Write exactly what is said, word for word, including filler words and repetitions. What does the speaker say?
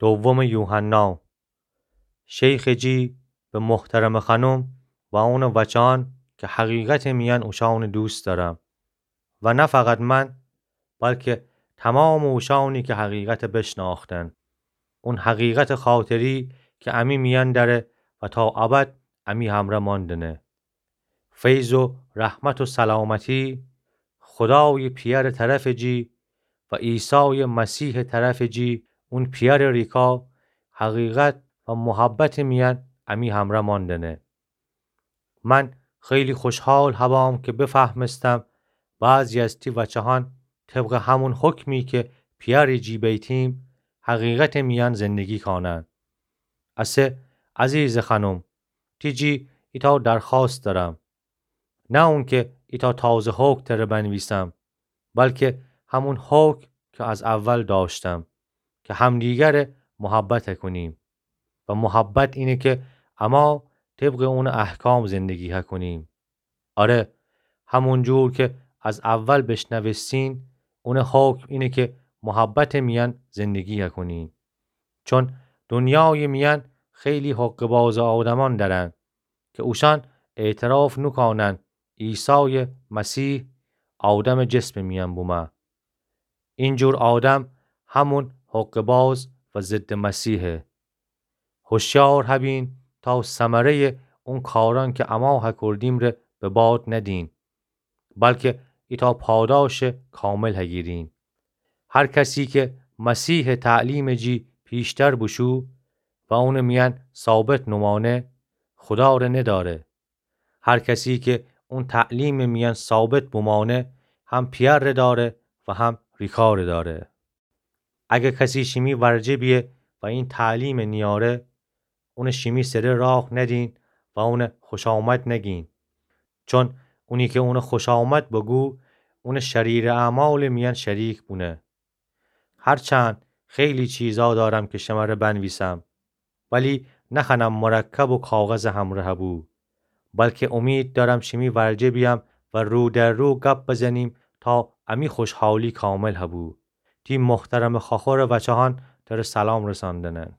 دومٚ یوحنا. شیخٚ جی به محترمٚ خانم و اونٚ وچان که حقیقتٚ میأن اوشانٚ دوست دأرم و نه فقط من، بلکه تمامٚ اوشانی که حقیقت بشنأختن، اون حقیقتٚ خاطری که امی میأن دأره و تا ابد امی همرأ ماندنه. فیض و رحمت و سلامتی خودایٚ پیأرٚ طرفٚ جی و عیسایٚ مسیحٚ طرفٚ جی، اون پیأرٚ ریکا، حقیقت و محبتٚ میأن امی همرأ ماندنه. من خیلی خوشحال هبام که بفهمستم بعضی از تی وچهان طبقٚ همون حکمی که پیأرٚ جی بیتیم، حقیقتٚ میأن زندگی کانن. اسه عزیزٚ خانم، تی جی ایتأ درخوأست دأرم. نه اونکه ایتأ تازه حکم تره بنویسم، بلکه همون حکم که از اول دأشتم، که همدیگره محبت هکونیم. و محبت اینه که اما طبقٚ اونٚ احکام زندگی هکونیم. آره، همون جور که از اول بشنوستین، اونٚ حکم اینه که محبتٚ میأن زندگی هکونین. چون دونیایٚ میأن خیلی حقه‌بازٚ آدمان دأرن که اوشان اعتراف نوکانن عیسایٚ مسیح آدمٚ جسمٚ میأن بومه. اینجور آدم همون حقه‌باز و ضدٚ مسیحه. هوشیار هبین تا ثمره‌یٚ اون کاران که اما هکردیم ره به باد ندین، بلکه ایتأ پاداشٚ کامل هگیرین. هر کسی که مسیحٚ تعلیمٚ جی پیشتر بوشو و اونٚ میأن ثابت نومانه، خودا ره ندأره. هر کسی که اون تعلیمٚ میأن ثابت بومانه، هم پیأر ره دأره و هم ریکا ره دأره. اگر کسی شیمی ورجه بیه و این تعلیم نیاره، اونه شیمی سره راه ندین و اونه خوشامد نگین. چون اونی که اونه خوشامد بگو، اونه شریرٚ اعمالٚ میأن شریک بونه. هرچند خیلی چیزا دارم که شمره بنویسم، ولی نخوأنم مرکب و کاغذٚ همره هبو، بلکه امید دارم شیمی ورجه بیم و رو در رو گپ بزنیم تا امی خوشحالی کامل هبو. تی محترمٚ خاخورٚ وچهان تره سلام رساندنن.